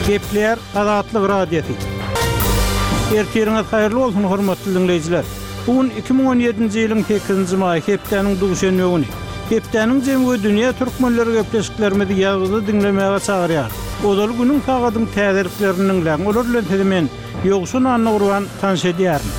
Gepleýär Azatlyk Radiosy. Ertiriňiz haýyrly bolsun, hormatly diňleýjiler! Bu gün 2017-nji ýylyň sekizinji maýy, hepdäniň duşenbe güni. Hepdäniň jemi we dünýä türkmenleri gepleşiklerimizi ýazgyda diňlemäge çagyrýar. Ozaly günüň sagadyň täzeliklerini diňläň, olar bilen sizi men, Ýowşan Annagurban, tanyş edýärin.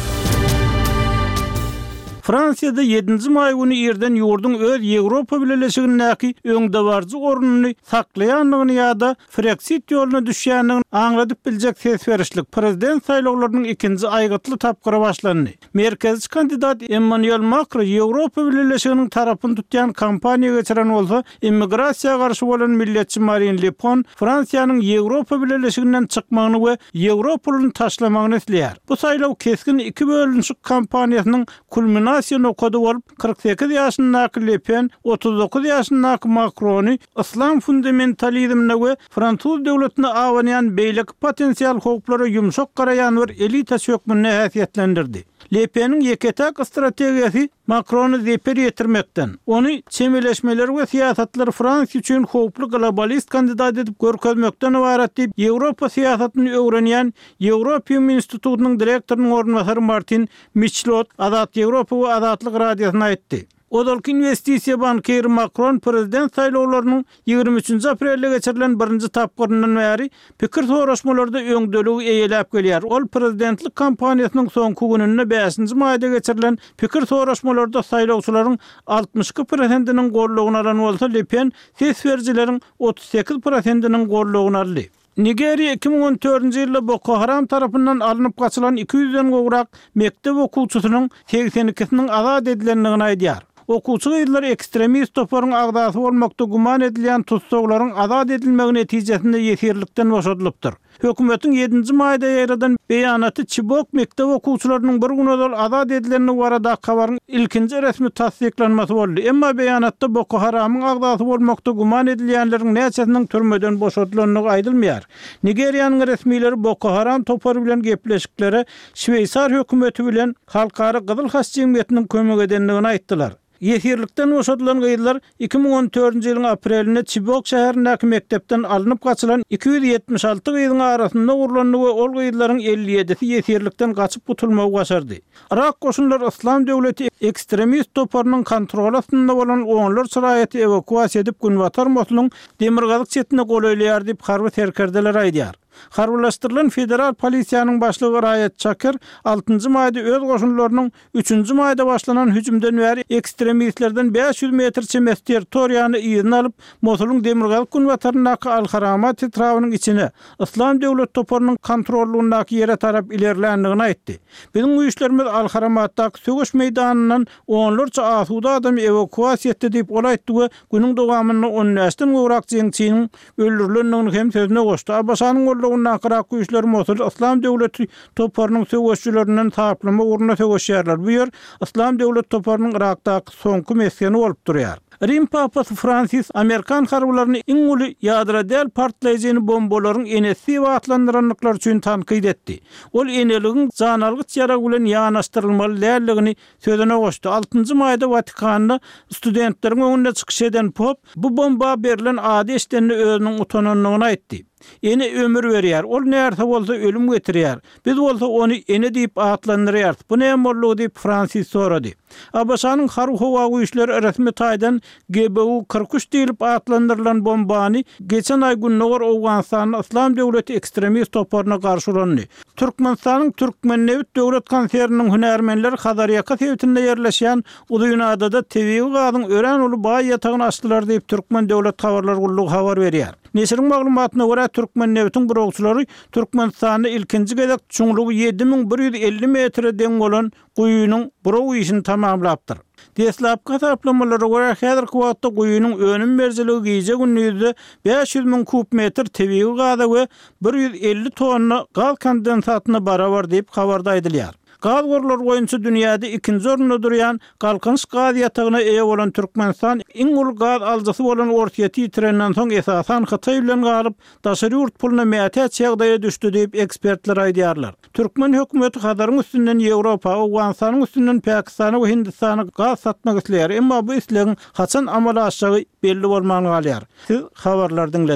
Fransiýada ýedinji maý güni irden ýurduň öz Ýewropa Bileleşigindäki öňdebaryjy ornuny saklaýandygyny ýa-da Freksit ýoluna düşýändigini aňladyp biljek ses berişlik, prezident saýlawlarynyň ikinji aýgytly tapgyry başlandy. Merkezçi kandidat Emmanuel Makro Ýewropa Bileleşiginiň tarapyny tutýan kampaniýa geçiren bolsa, immigrasiýa garşy bolan milletçi Marin Le Pen Fransiýanyň Ýewropa Bileleşiginden çykmagyny we ýewro puluny taşlamagyny isleýär. Bu saýlaw kesgin iki bölünişik kampaniýasynyň kulminasiýa nokady bolup, 48 ýaşyndaky Le Pen 39 ýaşyndaky Makrony yslam fundamentalizmine we fransuz döwletine abanýan beýleki potensial howplara ýumşak garaýan bir elitaçy hökmünde häsiýetlendirdi. Le Peniň ýeke-täk strategiýasy Makrona zeper ýetirmekden, ony çemeleşmeleri we syýasatlary Fransiýa üçin howply globalist kandidat edip görkezmekden ybarat diýip, Ýewropa syýasatyny öwrenýän Ýewropium institutynyň direktorynyň orunbasary Martin Miçlot Azat Ýewropa we Azatlyk Radiosyna aýtdy. Ozalky inwestisiýa bankiri Makron prezident saýlawlarynyň 23-nji aprelde geçirilen birinji tapgyryndan bäri pikir soraşmalarda öňdeligi eýeläp gelýär. Ol prezidentlik kampaniýasynyň soňky gününde bäşinji maýda geçirilen pikir soraşmalarda saýlawçylaryň 62 prosentiniň goldawyny alan bolsa, Le Pen ses berijileriň 38 prosentiniň goldawyny aldy. Nigeriýa 2014-nji ýylda Boko Haram tarapyndan alnyp gaçylan iki ýüzden gowrak mekdep okuwçysynyň segsen ikisiniň azat edilendigini aýdýar. Okuwçy gyzlar ekstremist toparyň agzasy bolmakda güman edilýän tussaglaryň azat edilmegi netijesinde ýesirlikden boşadylypdyr. Hökümetiň ýedinji maýda ýaýradan beýanaty Çibok mekdep okuwçylarynyň bir gün ozal azat edilendigi baradaky habaryň ilkinji resmi tassyklanmasy boldy. Emma beýanatda Boko Haramyň agzasy bolmakda güman edilýänleriň näçesiniň türmeden boşadylandygy aýdylmaýar. Nigeriýanyň resmileri Boko Haram topary bilen gepleşiklere şweýsar hökümeti bilen Halkara Gyzyl Haç jemgyýetiniň kömek edendigini aýtdylar. Ýesirlikden boşadylan gyzlar 2014-nji ýylyň aprelinde Çibok şäherindäki mekdepden alnyp gaçylan 276 gyzyň arasynda urlandy we ol gyzlaryň 57-si ýesirlikden gaçyp gutulmagy başardy. Yrak goşunlary Yslam döwleti ekstremist toparynyň kontroly astynda bolan onlarça raýaty ewakuasiýa edip, günbatar Mosulyň demirgazyk çetine golaýlaýar diýip, harby serkerdeler aýdýar. Harbylaşdyrylan federal polisiýanyň başlygy Raýat Çakir altynjy maýda öz goşunlarynyň üçünji maýda başlanan hüjümden bäri ekstremistlerden 500 metr çemesi territoriýany yzyna alyp, Mosulyň demirgazyk-günbataryndaky Al-Haramat etrabynyň içine, Yslam döwlet toparynyň kontrollygyndaky ýere tarap ilerländigini aýtdy. Biziň güýçlerimiz Al-Haramatdaky söweş meýdanyndan onlarça asuda adamy ewakuasiýa etdi diýip, ol aýtdy we günüň dowamynda on bäşden gowrak jeňçiniň öldürilendigini hem sözüne goşdy. ABŞ-nyň goldawyndaky Yrak güýçleri Mosuly Yslam döwleti toparynyň söweşijilerinden saplama ugrunda söweşýärler. Bu ýer Yslam döwlet toparynyň Yrakdaky soňky mesgeni bolup durýar. Rim papasy Fransis amerikan harbylaryny iň uly ýadro däl partlaýjyny bombalaryň enesi diýip atlandyrandyklary üçin tankyt etdi. Ol eneligiň janalgyç ýarag bilen ýanaşdyrylmaly däldigini sözüne goşdy. Altynjy maýda Watikanda studentleriň öňünde çykyş eden pop bu bomba berlen ady eşidende özüniň utanandygyny aýtdy. Ene ömür berýär, ol närse bolsa ölüm getirýär. Biz bolsa ony ene diýip atlandyrýarys. Bu näme boldugy diýip, Fransis sorady. ABŞ-nyň Harby-howa güýçleri resmi taýdan GBU 43 diýlip atlandyrylan bombany geçen aý gündogar Owganystanda Yslam döwleti ekstremist toparyna garşy ulandy. Türkmenistanyň Türkmennebit döwlet konserniniň hünärmenleri Hazarýaka sebitinde ýerleşýän Uzynadada tebigy gazyň örän uly baý ýatagyny açdylar diýip, Türkmen döwlet habarlar gullugy habar berýär. Neşiriň maglumatyna görä, Türkmennebitiň burawçylary Türkmenistanda ilkinji gezek çuňlugy 7150 metre deň bolan guýynyň buraw işini tamamlapdyr. Deslapky hasaplamalara görä, häzirki wagtda guýynyň önüm berijiligi gije-gündizde 500 müň kub metr tebigy gaza we 150 tonna gaz kondensatyna barabar diýip, habarda aýdylýar. Gaz gorlary boýunça dünýäde ikinji orunda durýan Galkynyş gaz ýatagyna eýe bolan Türkmenistan iň uly gaz alyjysy bolan Orsýeti ýitirenden soň esasan Hytaý bilen galyp, daşary ýurt puluna mätäç ýagdaýa düşdi diýip, ekspertler aýdýarlar. Türkmen hökümeti Hazaryň üstünden Ýewropa, Owganystanyň üstünden Pakistana we Hindistana gaz satmak isleýär, emma bu islegiň haçan amala aşjagy belli bolman galýar. Siz habarlary diňlediňiz.